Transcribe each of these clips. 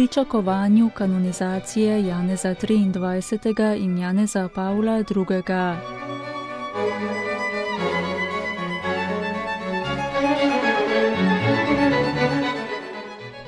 pričakovanju kanonizacije Janeza 23. in Janeza Pavla II.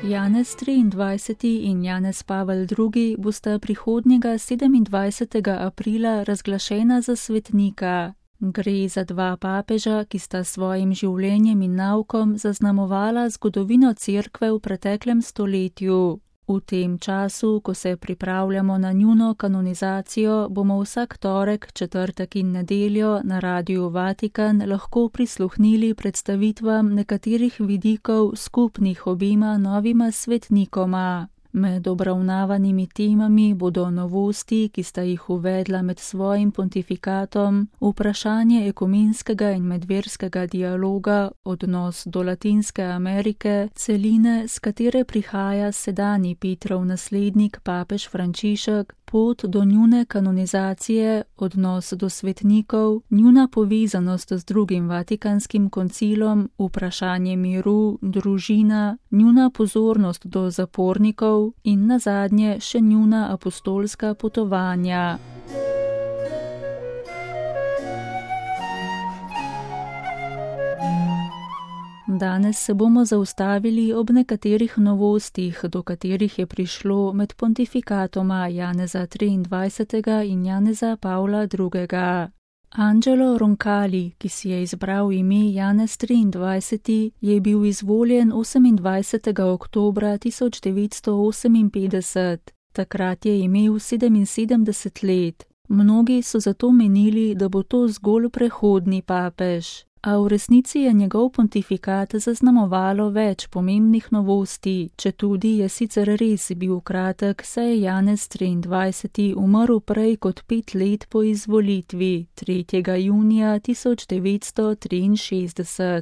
Janez 23. in Janez Pavel II. Bosta prihodnjega 27. aprila razglašena za svetnika. Gre za dva papeža, ki sta svojim življenjem in naukom zaznamovala zgodovino Cerkve v preteklem stoletju. V tem času, ko se pripravljamo na njuno kanonizacijo, bomo vsak torek, četrtek in nedeljo na Radiu Vatikan lahko prisluhnili predstavitvam nekaterih vidikov skupnih obima novima svetnikoma. Med obravnavanimi temami bodo novosti, ki sta jih uvedla med svojim pontifikatom, vprašanje ekumenskega in medverskega dialoga, odnos do Latinske Amerike, celine, s katere prihaja sedanji Petrov naslednik papež Frančišek, pot do njune kanonizacije, odnos do svetnikov, njuna povezanost z drugim Vatikanskim koncilom, vprašanje miru, družina, njuna pozornost do zapornikov in nazadnje še njuna apostolska potovanja. Danes se bomo zaustavili ob nekaterih novostih, do katerih je prišlo med pontifikatoma Janeza 23. in Janeza Pavla II. Angelo Roncalli, ki si je izbral ime Janez 23., je bil izvoljen 28. oktobra 1958. Takrat je imel 77 let. Mnogi so zato menili, da bo to zgolj prehodni papež. A v resnici je njegov pontifikat zaznamovalo več pomembnih novosti, četudi je sicer res bil kratek, saj je Janez 23. umrl prej kot 5 let po izvolitvi, 3. junija 1963.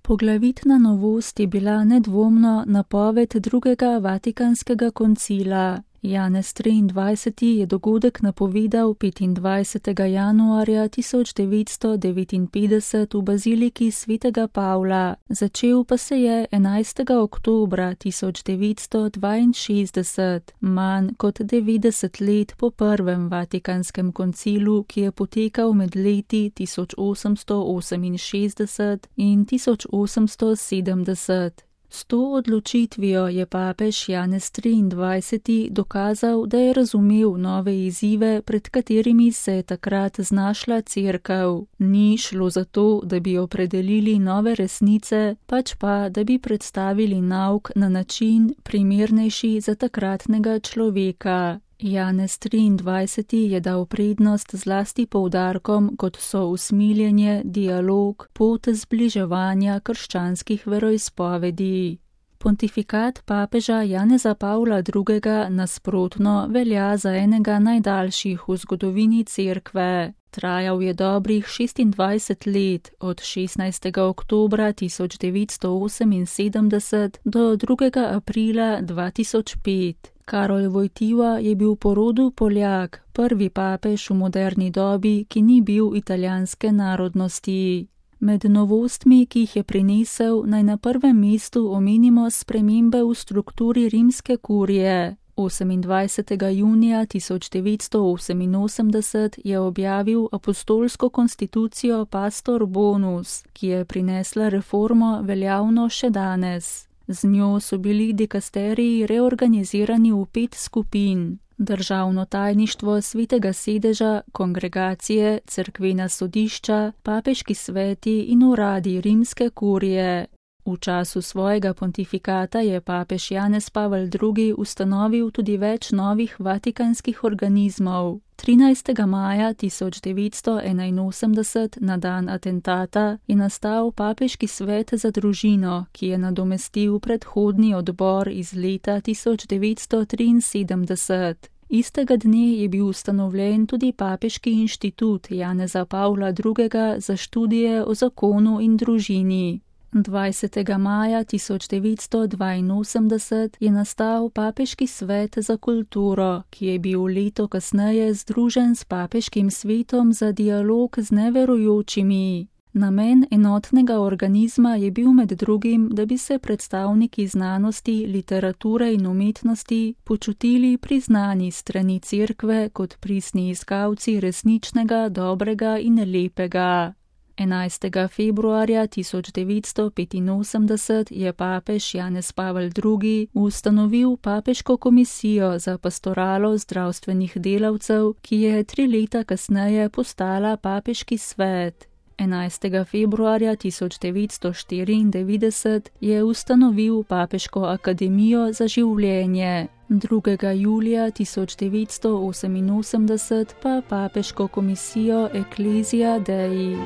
Poglavitna novost je bila nedvomno napoved drugega Vatikanskega koncila. Janez 23. je dogodek napovedal 25. januarja 1959 v baziliki svetega Pavla, začel pa se je 11. oktobra 1962, manj kot 90 let po prvem Vatikanskem koncilu, ki je potekal med leti 1868 in 1870. S to odločitvijo je papež Janez 23. dokazal, da je razumel nove izzive, pred katerimi se je takrat znašla Cerkev. Ni šlo za to, da bi opredelili nove resnice, pač pa, da bi predstavili nauk na način primernejši za takratnega človeka. Janez 23. je dal prednost zlasti poudarkom, kot so usmiljenje, dialog, pot zbliževanja krščanskih veroizpovedi. Pontifikat papeža Janeza Pavla II. Nasprotno velja za enega najdaljših v zgodovini Cerkve. Trajal je dobrih 26 let, od 16. oktobra 1978 do 2. aprila 2005. Karol Wojtyła je bil po rodu Poljak, prvi papež v moderni dobi, ki ni bil italijanske narodnosti. Med novostmi, ki jih je prinesel, naj na prvem mestu omenimo spremembe v strukturi rimske kurije. 28. junija 1988 je objavil apostolsko konstitucijo Pastor Bonus, ki je prinesla reformo veljavno še danes. Z njo so bili dikasteriji reorganizirani v 5 skupin: državno tajništvo svetega sedeža, kongregacije, cerkvena sodišča, papeški sveti in uradi rimske kurije. V času svojega pontifikata je papež Janez Pavel II. Ustanovil tudi več novih vatikanskih organizmov. 13. maja 1981, na dan atentata, je nastal papeški svet za družino, ki je nadomestil predhodni odbor iz leta 1973. Istega dne je bil ustanovljen tudi papeški inštitut Janeza Pavla II. Za študije o zakonu in družini. 20. maja 1982 je nastal papeški svet za kulturo, ki je bil leto kasneje združen s papeškim svetom za dialog z neverujočimi. Namen enotnega organizma je bil med drugim, da bi se predstavniki znanosti, literature in umetnosti počutili priznani strani cerkve kot pristni iskalci resničnega, dobrega in lepega. 11. februarja 1985 je papež Janez Pavel II. Ustanovil papeško komisijo za pastoralo zdravstvenih delavcev, ki je 3 leta kasneje postala papeški svet. 11. februarja 1994 je ustanovil Papeško akademijo za življenje. 2. julija 1988 pa Papeško komisijo Ecclesia Dei.